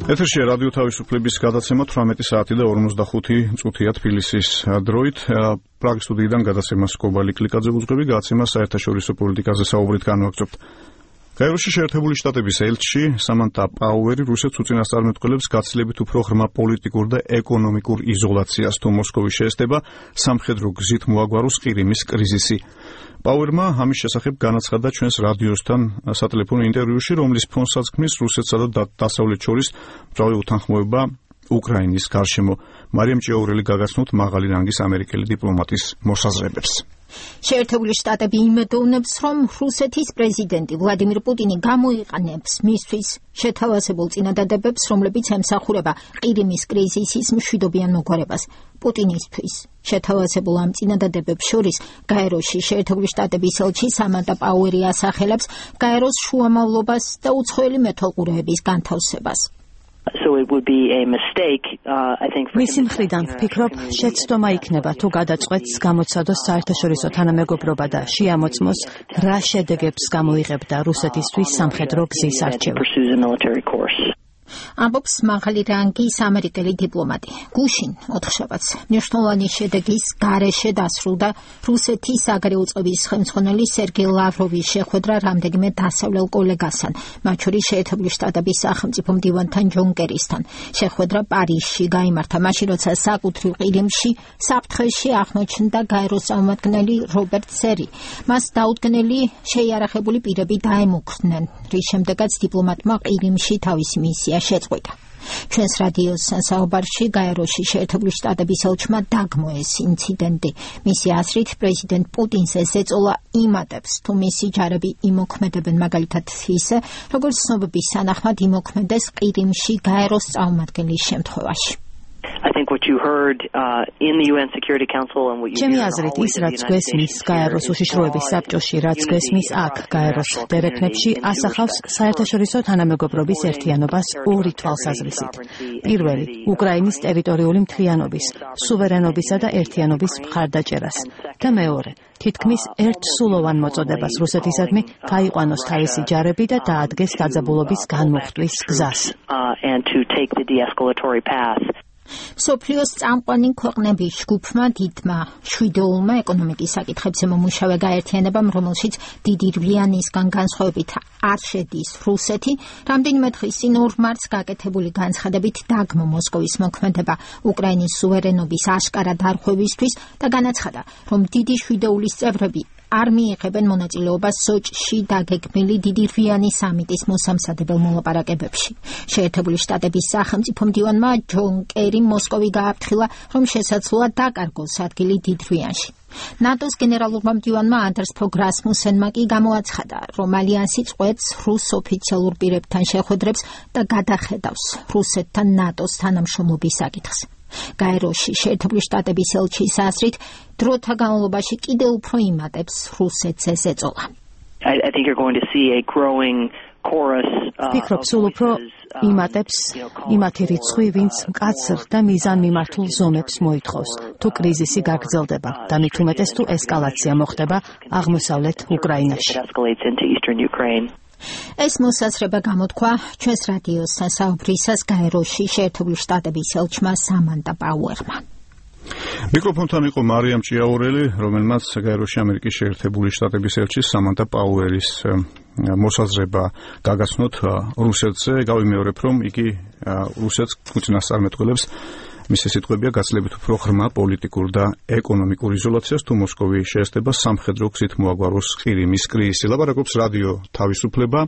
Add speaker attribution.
Speaker 1: ეთერშია რადიო თავისუფლების გადაცემა 18 საათი და 55 წუთია თბილისის დროით. პრაღის სტუდიიდან გადაცემას კობალი კლიკაძე უძღვები, გადაცემა საერთაშორისო პოლიტიკაზე საუბრით განვაგრძობთ. გაეროში შეერთებული შტატების ელჩი სამანტა პაუერი რუსეთს უწინასწარმეტყველებს გაცილებით უფრო ღრმა პოლიტიკურ და ეკონომიკურ იზოლაციას თუ მოსკოვის შეესდება სამხედრო გზით მოაგვაროს ყირიმის კრიზისი. პაუერმა ამის შესახებ განაცხადა ჩვენს რადიოსთან სატელეფონო ინტერვიუში, რომლის ფონსაც ქმნის რუსეთსა და დასავლეთ შორის მწვავე უთანხმოება უკრაინის გარშემო. მარიამ ჭიაურელი გაგაცნოთ მაღალი რანგის ამერიკელი დიპლომატის მოსაზრებებს.
Speaker 2: შეერთებული შტატები იმედოვნებს, რომ რუსეთის პრეზიდენტი ვლადიმირ პუტინი გამოიყენებს მისთვის შეთავაზებულ წინადადებებს, რომლებიც ემსახურება ყირიმის კრიზისის მშვიდობიან მოგვარებას. პუტინისთვის შეთავაზებულ ამ წინადადებებს შორის გაეროში შეერთებული შტატების ელჩი სამანტა პაუერი ასახელებს გაეროს შუამავლობას და უცხოელი მეთვალყურეების განთავსებას.
Speaker 3: მისი მხრიდან ვფიქრობ, შეცდომა იქნება თუ გადაწყვეტს გამოცადოს საერთაშორისო თანამეგობრობა და შეამოწმოს, რა შედეგებს გამოიღებდა რუსეთისთვის სამხედრო გზის არჩევა.
Speaker 2: ამბობს მაღალი რანგის ამერიკელი დიპლომატი. გუშინ ოთხშაბათს მნიშვნელოვანი შედეგის გარეშე დასრულდა რუსეთის საგარეო წყობის ხელმძღვანელი სერგეი ლავროვის შეხვედრა რამდენიმე დასავლელ კოლეგასთან, მათ შორის შეერთებული შტატების სახელმწიფო მდივანთან ჯონ კერისთან. შეხვედრა პარიზში გაიმართა, მაშინ როცა საკუთრივ ყირიმში საფრთხეში აღმოჩნდა გაეროს წარმომადგენელი რობერტ სერი. მას დაუდგენელი შეიარაღებული პირები დაემუქრნენ, რის შემდეგაც დიპლომატმა ყირიმში თავისი მისია შეწყვიტა. ჩვენს რადიოს საუბარში გაეროში შეერთებული შტატების ელჩმა დაგმო ეს ინციდენტი. მისი აზრით, პრეზიდენტ პუტინს ეს ეწოლა იმატებს, თუ მისი ჯარები იმოქმედებენ, მაგალითად ისე, როგორც ცნობების თანახმად იმოქმედეს ყირიმში გაეროს წარმომადგენლის შემთხვევაში.
Speaker 3: ჩემი აზრით, ის რაც გვესმის გაეროს უშიშროების საბჭოში, რაც გვესმის აქ გაეროს დერეფნებში, ასახავს საერთაშორისო თანამეგობრობის ერთიანობას ორი თვალსაზრისით. პირველი, უკრაინის ტერიტორიული მთლიანობის, სუვერენობისა და ერთიანობის მხარდაჭერას და მეორე, თითქმის ერთსულოვან მოწოდებას რუსეთისადმი გაიყვანოს თავისი ჯარები და დაადგეს დაძაბულობის განმუხტვის გზას.
Speaker 2: მსოფლიოს წამყვანი ქვეყნების ჯგუფმა დიდმა შვიდეულმა ეკონომიკის საკითხებზე მომუშავე გაერთიანებამ, რომელშიც დიდი რბლიანისგან განსხვავებით არ შედის რუსეთი, რამდენიმე დღის წინ 2 მარტს გაკეთებული განცხადებით დაგმო მოსკოვის მოქმედება უკრაინის სუვერენობის აშკარა დარღვევისთვის და განაცხადა, რომ დიდი შვიდეულის წევრები არ მიიღებენ მონაწილეობას სოჭში დაგეგმილი დიდი რვიანი სამიტის მოსამზადებელ მოლაპარაკებებში. შეერთებული შტატების სახელმწიფო მდივანმა ჯონ კერიმ მოსკოვი გააფრთხილა, რომ შესაძლოა დაკარგოს ადგილი დიდ რვიანში. ნატოს გენერალურმა მდივანმა ანდერს ფოგ რასმუსენმა კი გამოაცხადა, რომ ალიანსი წყვეტს რუს ოფიციალურ პირებთან შეხვედრებს და გადახედავს რუსეთთან ნატოს თანამშრომლობის საკითხს. გაეროში შეერთებული შტატების ელჩის აზრით, დროთა განმავლობაში კიდევ უფრო იმატებს რუსეთს ეს ეწოლა.
Speaker 3: ვფიქრობ, სულ უფრო იმატებს იმათი რიცხვი, ვინც მკაცრ და მიზანმიმართულ ზომებს მოითხოვს, თუ კრიზისი გაგრძელდება და მით უმეტეს თუ ესკალაცია მოხდება აღმოსავლეთ უკრაინაში. ეს მოსაზრება გამოთქვა ჩვენს რადიოს საუბრისას გაეროში შეერთებული შტატების ელჩმა სამანტა პაუერმა.
Speaker 1: მიკროფონთან იყო მარიამ ჭიაურელი, რომელმაც გაეროში ამერიკის შეერთებული შტატების ელჩის სამანტა პაუერის მოსაზრება გაგაცნოთ რუსეთზე. გავიმეორებ, რომ იგი რუსეთს უწინასწარმეტყველებს, მისი სიტყვებია, გაცილებით უფრო ღრმა პოლიტიკურ და ეკონომიკურ იზოლაციას თუ მოსკოვი შეესდება სამხედრო გზით მოაგვაროს ყირიმის კრიზისი. ლაპარაკობს რადიო თავისუფლება.